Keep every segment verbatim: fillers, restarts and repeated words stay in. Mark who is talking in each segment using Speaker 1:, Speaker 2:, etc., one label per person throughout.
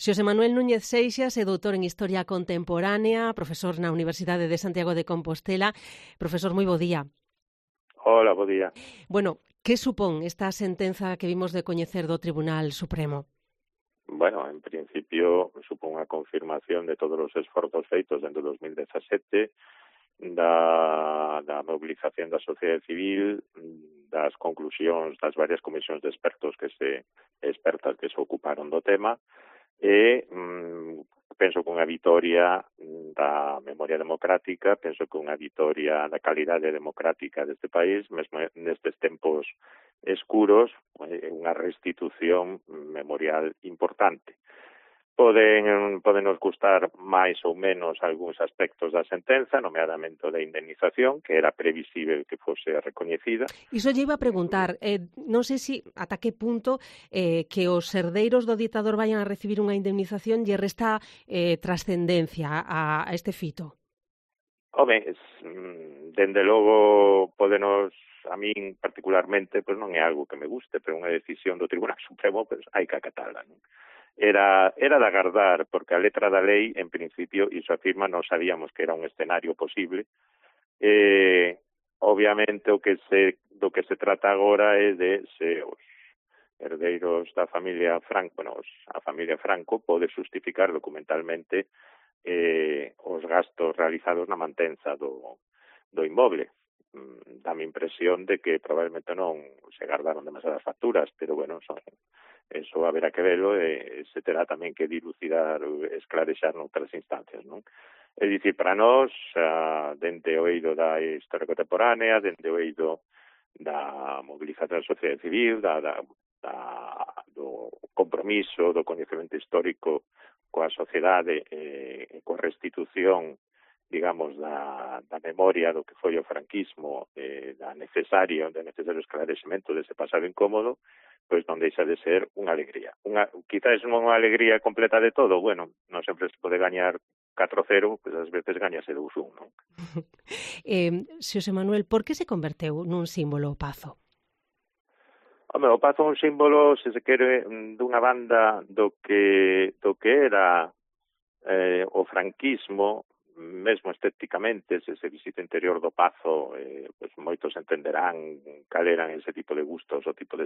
Speaker 1: Xosé Manuel Núñez Seixas é doutor en Historia Contemporánea, profesor na Universidade de Santiago de Compostela. Profesor, moi bo día.
Speaker 2: Hola, bo día.
Speaker 1: Bueno, que supón esta sentenza que vimos de coñecer do Tribunal Supremo?
Speaker 2: Bueno, en principio supón a confirmación de todos os esforzos feitos dentro de dos mil dezasete, da, da mobilización da sociedade civil, das conclusións das varias comisións de expertos que se expertas que se ocuparon do tema, e mm, penso que unha vitoria da memoria democrática, penso que unha vitoria da calidade democrática deste país, mesmo nestes tempos escuros, unha restitución memorial importante. Poden, poden nos gustar máis ou menos algúns aspectos da sentenza, nomeadamente da indemnización, que era previsible que fose recoñecida.
Speaker 1: Iso lle iba a preguntar, eh, non sei se ata que punto eh, que os herdeiros do ditador vayan a recibir unha indemnización lle resta eh, trascendencia a, a este fito.
Speaker 2: Home, dende logo podenos, a min particularmente, pois non é algo que me guste, pero unha decisión do Tribunal Supremo, pois hai que acatala, non? Era, era de agardar, porque a letra da lei, en principio, iso afirma, non sabíamos que era un escenario posible. Eh, obviamente, o que se, do que se trata agora é de se os herdeiros da familia Franco, bueno, a familia Franco pode justificar documentalmente eh, os gastos realizados na mantenza do, do inmoble. Dame impresión de que probablemente non se guardaron demasiadas facturas, pero bueno, son, eso haberá que verlo e se terá tamén que dilucidar, esclarexar noutras instancias, non? É dicir, para nós, uh, dende o eido da historia contemporánea, dende o eido da movilización da sociedade civil, da, da, da, do compromiso, do coñecemento histórico coa sociedade e eh, coa restitución, digamos, da, da memoria do que foi o franquismo, eh, da necesario, da necesario esclarecemento dese pasado incómodo, pois non deixa de ser unha alegría. Unha, quizás non unha alegría completa de todo, bueno, non sempre se pode gañar catro cero, pois ás veces gañase dous un, non?
Speaker 1: eh, Xosé Manuel, por que se converteu nun símbolo o Pazo?
Speaker 2: Home, o Pazo é un símbolo, se se quere, dunha banda do que, do que era eh, o franquismo, mesmo estéticamente, se se visita o interior do Pazo, eh, pues moitos entenderán cal eran ese tipo de gustos, o tipo de,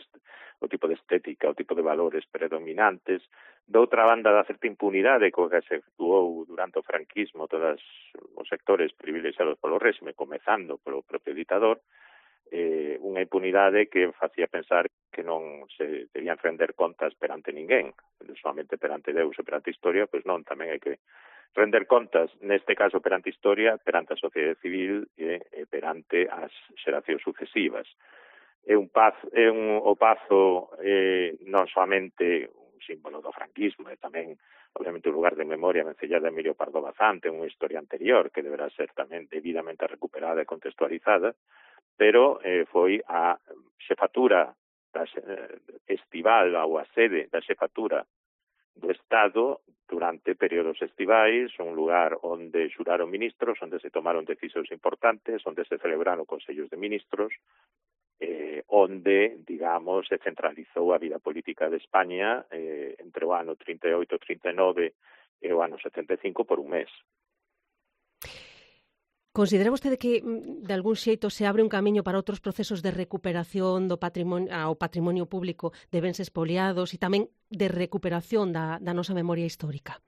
Speaker 2: o tipo de estética, o tipo de valores predominantes. Doutra banda, da certa impunidade co que se actuou durante o franquismo todos os sectores privilexiados polo réxime, comezando polo propio ditador, eh, unha impunidade que facía pensar que non se debían render contas perante ninguén, solamente perante Deus e perante a historia, pois non, tamén hai que render contas, neste caso perante a historia, perante a sociedade civil e, e perante as xeracións sucesivas. É un paz, é un, o Pazo eh, non soamente un símbolo do franquismo, e tamén, obviamente, un lugar de memoria vencellada de Emilio Pardo Bazán, ten unha historia anterior que deberá ser tamén debidamente recuperada e contextualizada, pero eh, foi a xefatura da, eh, estival ou a sede da xefatura do Estado durante períodos estivais, un lugar onde xuraron ministros, onde se tomaron decisións importantes, onde se celebraron consellos de ministros, eh, onde, digamos, se centralizou a vida política de España eh, entre o ano trinta e oito trinta e nove e o ano setenta e cinco por un mes.
Speaker 1: Considera vostede que, de algún xeito, se abre un camiño para outros procesos de recuperación do patrimonio, ao patrimonio público de bens expoliados e tamén de recuperación da, da nosa memoria histórica?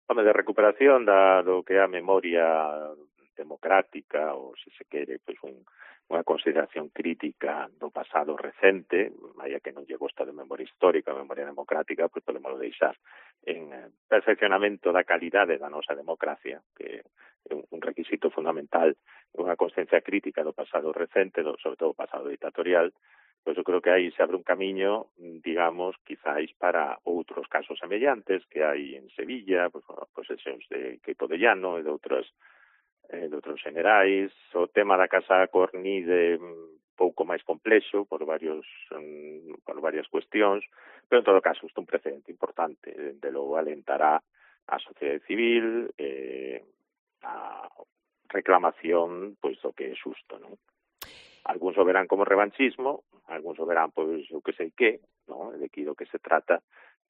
Speaker 2: Home, de recuperación da, do que é a memoria democrática, ou, se se quere, pois un, unha consideración crítica do pasado recente, vaya que non lle gosta de memoria histórica, memoria democrática, pois podemos deixar en perfeccionamento da calidade da nosa democracia, que é un requisito fundamental, unha consciencia crítica do pasado recente, do, sobre todo o pasado dictatorial. Pois eu creo que aí se abre un camiño, digamos, quizáis para outros casos semellantes que hai en Sevilla, pois, posesións de Queipo de Llano e de outros, eh, de outros generais. O tema da Casa Cornide pouco máis complexo por varios um, por varias cuestións, pero en todo caso isto é un precedente importante, de logo alentará a sociedade civil, eh, a reclamación pois do que é xusto, non? Algúns o verán como revanchismo, algúns o verán pois o que sei que, non? De que do que se trata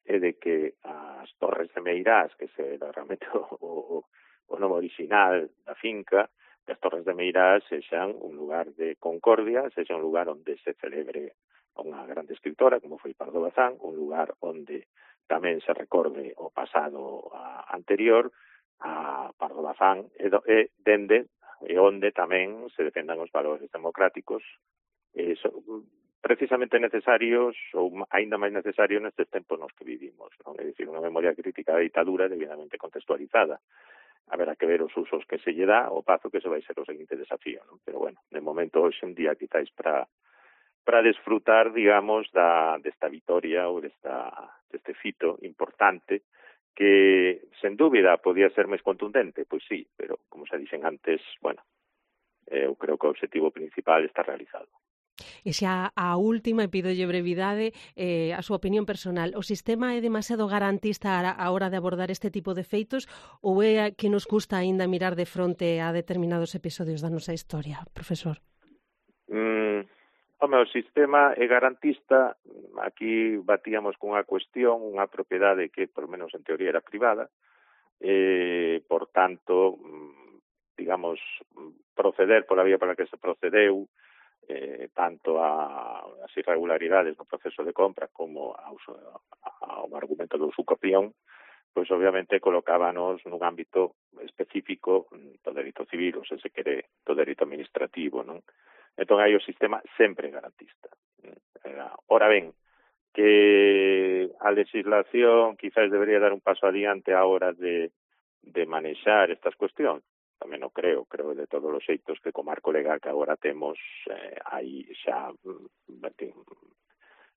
Speaker 2: é de que as Torres de Meirás, que era realmente o, o, o nome original da finca, que as Torres de Meirás sexan un lugar de concordia, sexa un lugar onde se celebre unha grande escritora, como foi Pardo Bazán, un lugar onde tamén se recorde o pasado a, anterior a Pardo Bazán, e, do, e dende e onde tamén se defendan os valores democráticos, e so, precisamente necesarios, ou aínda máis necesarios nestes tempos nos que vivimos, non? É dicir, unha memoria crítica da ditadura debidamente contextualizada. Haberá que ver os usos que se lle dá, o pazo que se vai ser o seguinte desafío, non? Pero bueno, de momento, hoxe en día, quizáis para para desfrutar, digamos, da desta vitoria ou desta deste fito importante que, sen dúbida, podía ser máis contundente, pois sí, pero, como se dixen antes, bueno, eu creo que o objetivo principal está realizado.
Speaker 1: E xa a última, e pídolle brevidade, eh, a súa opinión personal. O sistema é demasiado garantista a hora de abordar este tipo de feitos ou é que nos custa aínda mirar de fronte a determinados episodios da nosa historia, profesor?
Speaker 2: Mm, home, o sistema é garantista. Aquí batíamos cunha cuestión, unha propiedade que, por menos en teoría, era privada, eh, por tanto, digamos, proceder pola vía pola que se procedeu, eh, tanto a, as irregularidades no proceso de compra como ao, ao argumento do usucapión, pois obviamente colocábanos nun ámbito específico do dereito civil, ou se se quere, do dereito administrativo, non? Entón hai o sistema sempre garantista. Ora ben, que a legislación quizás debería dar un paso adiante a hora de, de manexar estas cuestións. Tamén o creo, creo de todos os xeitos que co marco legal que agora temos, eh, aí xa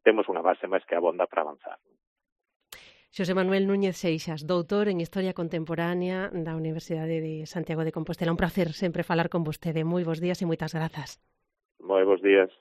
Speaker 2: temos unha base máis que abonda para avanzar.
Speaker 1: Xosé Manuel Núñez Seixas, doutor en Historia Contemporánea da Universidade de Santiago de Compostela. Un placer sempre falar con vostede. Moi bons días e moitas grazas.
Speaker 2: Moi bons días.